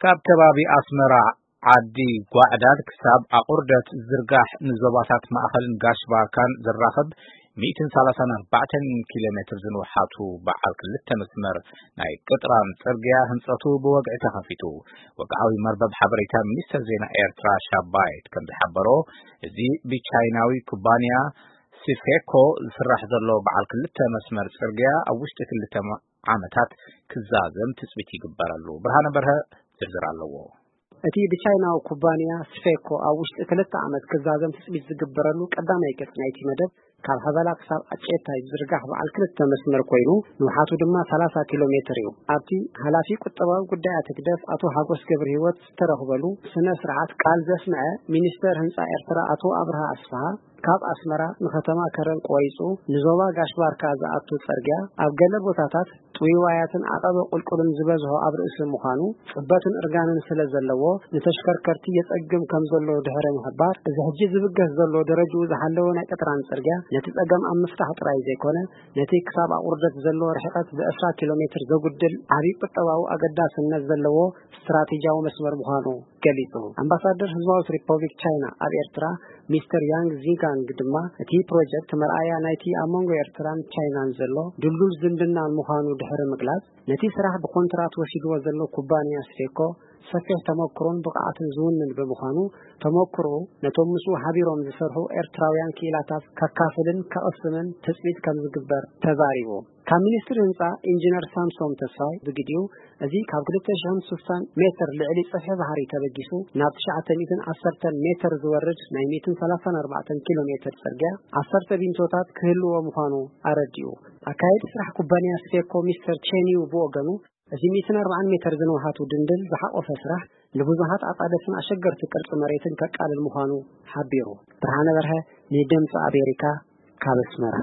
ካብ ከባቢ ኣስመራ ዓዲ ጓዕዳድ ክሳብ ኣቑርደት ዝርጋሕ ንዞባታት ማእኸልን ጋሽ ባርካን ዝራኸብ ሚእትን ሰላሳን ኣርባዕተን ኪሎ ሜትር ዝንውሓቱ በዓል ክልተ መስመር ናይ ቅጥራን ጽርግያ ህንጸቱ ብወግዒ ተኸፊቱ። ወግዓዊ መርበብ ሓበሬታ ሚኒስተር ዜና ኤርትራ ሻባይት ከም ዝሓበሮ፣ እዚ ብቻይናዊ ኩባንያ ሲፌኮ ዝስራሕ ዘሎ በዓል ክልተ መስመር ጽርግያ ኣብ ውሽጢ ክልተ ማ-፣ ዓመታት ክዛዘም ትጽቢት ይግበረሉ። ብርሃነ በርሀ ዝርዝር ኣለዎ። እቲ ብቻይናዊ ኩባንያ ስፌኮ ኣብ ውሽጢ ክልተ ዓመት ክዛዘም ትጽቢት ዝግበረሉ ቀዳማይ ገጽ ናይቲ መደብ፣ ካብ ሀበላ ክሳብ ኣጨታይ ዝርጋሕ በዓል ክልተ መስመር ኮይኑ፣ ንውሓቱ ድማ ሰላሳ ኪሎ ሜትር እዩ። ኣብቲ ሓላፊ ቁጠባዊ ጉዳያት ህግደፍ ኣቶ ሓጎስ ገብረ ህይወት ዝተረኽበሉ ስነ ስርዓት ቃል ዘስምዐ፣ ሚኒስተር ህንጻ ኤርትራ ኣቶ ኣብርሃ ኣስፍሃ፣ ካብ ኣስመራ ንከተማ ከረን ቆይጹ ንዞባ ጋሽ ባርካ ዝኣቱ ጽርግያ ኣብ ገለ ቦታታት ጥውይዋያትን ዓቐበ ቁልቁልን ዝበዝሖ ኣብ ርእሲ ምዃኑ፣ ጽበትን እርጋንን ስለ ዘለዎ፣ ንተሽከርከርቲ የጸግም ከም ዘሎ ድሕሪ ምሕባር፣ እዚ ሕጂ ዝብገስ ዘሎ ደረጅኡ ዝሓለወ ናይ ቅጥራን ጽርግያ ነቲ ጸገም ኣብ ምፍታሕ ጥራይ ዘይኮነ፣ ነቲ ክሳብ ኣቑርደት ዘሎ ርሕቀት ብዕስራ ኪሎ ሜትር ዘጉድል ዓቢ ቁጠባዊ ኣገዳስነት ዘለዎ ስትራቴጂያዊ መስመር ምዃኑ ገሊጹ። ኣምባሳደር ህዝባዊት ሪፐብሊክ ቻይና ኣብ ኤርትራ ሚስተር ያንግ ዚጋንግ ድማ፣ እቲ ፕሮጀክት መርኣያ ናይቲ ኣብ መንጎ ኤርትራን ቻይናን ዘሎ ድልዱል ዝምድናን ምዃኑ ድሕሪ ምግላጽ፣ ነቲ ስራሕ ብኮንትራት ወሲድዎ ዘሎ ኩባንያ ስፌኮ ሰፊሕ ተመክሮን ብቕዓትን ዝውንን ብምዃኑ፣ ተመክሮኡ ነቶም ምስኡ ሓቢሮም ዝሰርሑ ኤርትራውያን ክኢላታት ከካፍልን ከቕስምን ትጽቢት ከም ዝግበር ተዛሪቡ። ካብ ሚኒስትሪ ህንጻ ኢንጂነር ሳምሶም ተስፋይ ብግዲኡ፣ እዚ ካብ ክልተ ሽሕን ስሳን ሜትር ልዕሊ ጽፍሒ ባሕሪ ተበጊሱ ናብ ትሽዓተ ሚእትን ዓሰርተን ሜትር ዝወርድ ናይ ሚእትን ሰላሳን ኣርባዕተን ኪሎ ሜትር ጽርግያ ዓሰርተ ቢንቶታት ክህልዎ ምዃኑ ኣረዲኡ። ኣካየዲ ስራሕ ኩባንያ ስፌኮ ሚስተር ቼን ዩ ብወገኑ፣ እዚ ሚእትን ኣርባዓን ሜትር ዝንውሓቱ ድንድል ዝሓቆፈ ስራሕ ንብዙሓት ኣጻደፍን ኣሸገርቲ ቅርጺ መሬትን ከቃልል ምዃኑ ሓቢሩ። ብርሃነ በርሀ፣ ንድምጺ ኣሜሪካ፣ ካብ ኣስመራ።